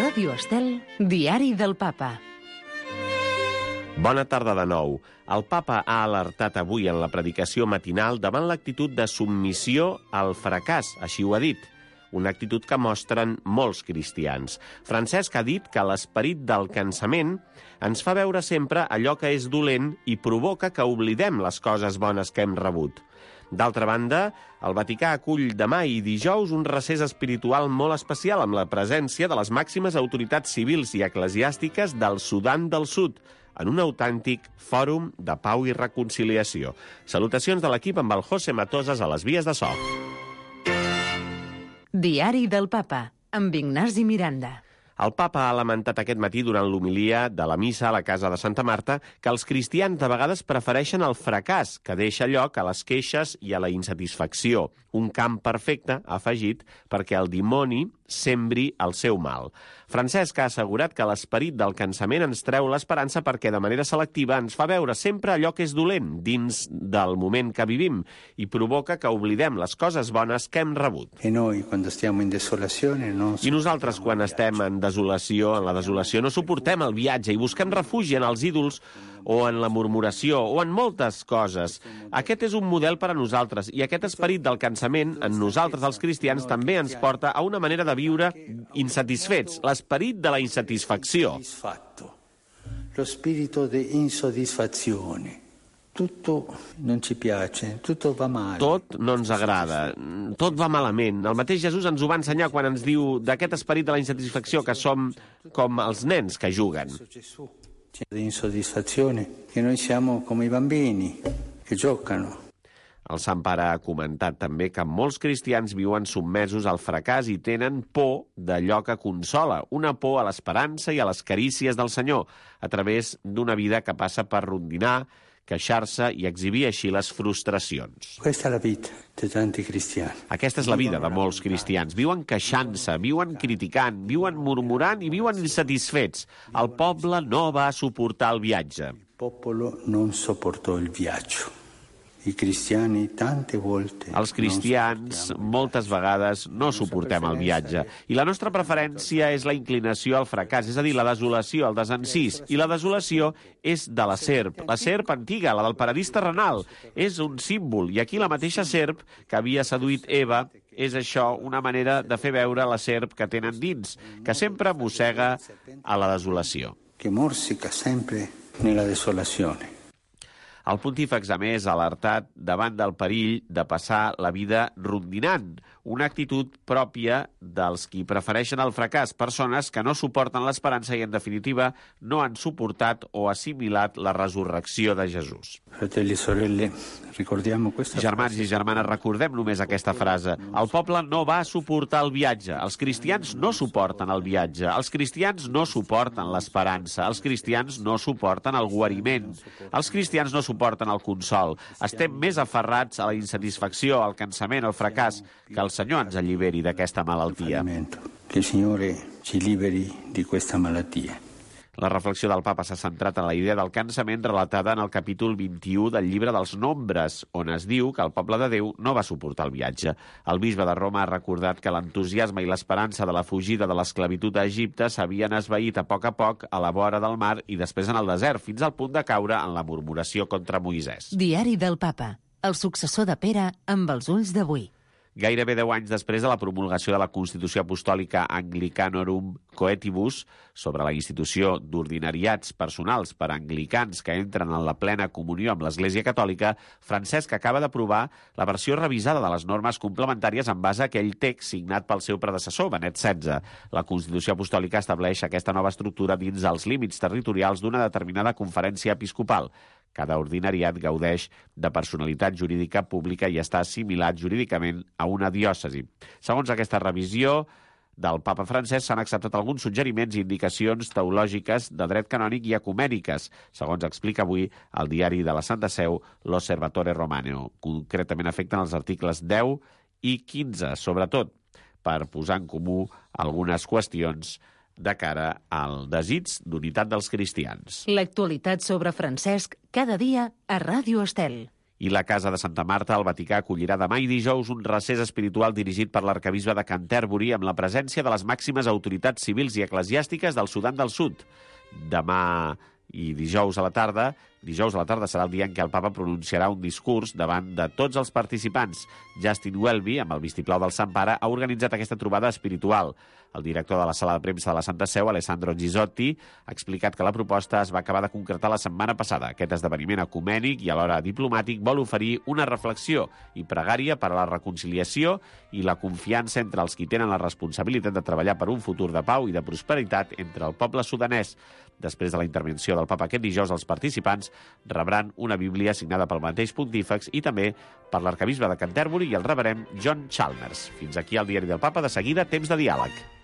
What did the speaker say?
Ràdio Estel, Diari del Papa. Bona tarda de nou. El papa ha alertat avui en la predicació matinal davant l'actitud de submissió al fracàs, així ho ha dit, una actitud que mostren molts cristians. Francesc ha dit que l'esperit del cansament ens fa veure sempre allò que és dolent i provoca que oblidem les coses bones que hem rebut. D'altra banda, el Vaticà acull demà i dijous un recés espiritual molt especial amb la presència de les màximes autoritats civils i eclesiàstiques del Sudan del Sud, en un autèntic fòrum de pau i reconciliació. Salutacions de l'equip amb el José Matosas a les vies de so. Diari del Papa, amb Ignasi Miranda. El papa ha lamentat aquest matí durant l'homilia de la missa a la casa de Santa Marta que els cristians de vegades prefereixen el fracàs, que deixa lloc a les queixes i a la insatisfacció. Un camp perfecte, ha afegit, perquè el dimoni sembri el seu mal. Francesc ha assegurat que l'esperit del cansament ens treu l'esperança perquè de manera selectiva ens fa veure sempre allò que és dolent dins del moment que vivim i provoca que oblidem les coses bones que hem rebut. I nosaltres, quan estem en la desolació, no suportem el viatge i busquem refugi en els ídols o en la murmuració o en moltes coses. Aquest és un model per a nosaltres i aquest esperit del cansament en nosaltres, els cristians, també ens porta a una manera de viure insatisfets, l'esperit de la insatisfacció. Lo spirito di insoddisfazione. Tutto non ci piace, tutto va male. Tot no ens agrada, tot va malament. El mateix Jesús ens ho va ensenyar quan ens diu d'aquest esperit de la insatisfacció que som com els nens que juguen. Di insoddisfazione, che noi siamo come i bambini che giocano. El Sant Pare ha comentat també que molts cristians viuen submesos al fracàs i tenen por d'allò que consola, una por a l'esperança i a les carícies del Senyor, a través d'una vida que passa per rondinar, queixar-se i exhibir així les frustracions. Questa è la vita di tanti cristiani. Aquesta és la vida de molts cristians. Viuen queixant-se, viuen criticant, viuen murmurant i viuen insatisfets. El poble no va suportar el viatge. Il popolo non sopportò il viaggio. I cristiani tante volte. Els cristians moltes vegades no suportem el viatge i la nostra preferència és la inclinació al fracàs, és a dir, la desolació, el desencís. I la desolació és de la serp antiga, la del paradís terrenal. És un símbol i aquí la mateixa serp que havia seduït Eva és això, una manera de fer veure la serp que tenen dins, que sempre mossega a la desolació. Que morsica sempre nella desolazione. El pontífex, a més, ha alertat davant del perill de passar la vida rondinant, una actitud pròpia dels qui prefereixen el fracàs, persones que no suporten l'esperança i, en definitiva, no han suportat o assimilat la resurrecció de Jesús. Fratelli e sorelle, ricordiamo questa Germans i germanes, recordem només aquesta frase. El poble no va suportar el viatge. Els cristians no suporten el viatge. Els cristians no suporten l'esperança. Els cristians no suporten el guariment. Els cristians no suporten el consol. Estem més aferrats a la insatisfacció, al cansament, al fracàs, que el Senyor ens alliberi d'aquesta malaltia. Que il Signore ci liberi di questa malattia. La reflexió del papa s'ha centrat en la idea del cansament relatada en el capítol 21 del llibre dels Nombres, on es diu que el poble de Déu no va suportar el viatge. El bisbe de Roma ha recordat que l'entusiasme i l'esperança de la fugida de l'esclavitud a Egipte s'havien esvaït a poc a la vora del mar i després en el desert, fins al punt de caure en la murmuració contra Moisès. Diari del Papa, el successor de Pere amb els ulls d'avui. Gairebé 10 anys després de la promulgació de la Constitució Apostòlica Anglicanorum Coetibus sobre la institució d'ordinariats personals per a anglicans que entren en la plena comunió amb l'Església Catòlica, Francesc acaba d'aprovar la versió revisada de les normes complementàries en base a aquell text signat pel seu predecessor, Benet XVI. La Constitució Apostòlica estableix aquesta nova estructura dins els límits territorials d'una determinada conferència episcopal. Cada ordinariat gaudeix de personalitat jurídica pública i està assimilat jurídicament a una diòcesi. Segons aquesta revisió del papa Francesc, s'han acceptat alguns suggeriments i indicacions teològiques de dret canònic i ecumèniques, segons explica avui el diari de la Santa Seu, l'Osservatore Romano. Concretament afecten els articles 10 i 15, sobretot per posar en comú algunes qüestions de cara al desig d'unitat dels cristians. L'actualitat sobre Francesc cada dia a Ràdio Estel. I la Casa de Santa Marta, al Vaticà, acollirà demà i dijous un recés espiritual dirigit per l'arcabisbe de Canterbury amb la presència de les màximes autoritats civils i eclesiàstiques del Sudan del Sud. Demà i dijous a la tarda serà el dia en què el papa pronunciarà un discurs davant de tots els participants. Justin Welby, amb el vistiplau del Sant Pare, ha organitzat aquesta trobada espiritual. El director de la sala de premsa de la Santa Seu, Alessandro Gisotti, ha explicat que la proposta es va acabar de concretar la setmana passada. Aquest esdeveniment ecumènic i alhora diplomàtic vol oferir una reflexió i pregària per a la reconciliació i la confiança entre els qui tenen la responsabilitat de treballar per un futur de pau i de prosperitat entre el poble sudanès. Després de la intervenció del papa aquest dijous, els participants rebran una Bíblia signada pel mateix pontífex i també per l'arcabisbe de Canterbury i el reverend John Chalmers. Fins aquí el Diari del Papa. De seguida, temps de diàleg.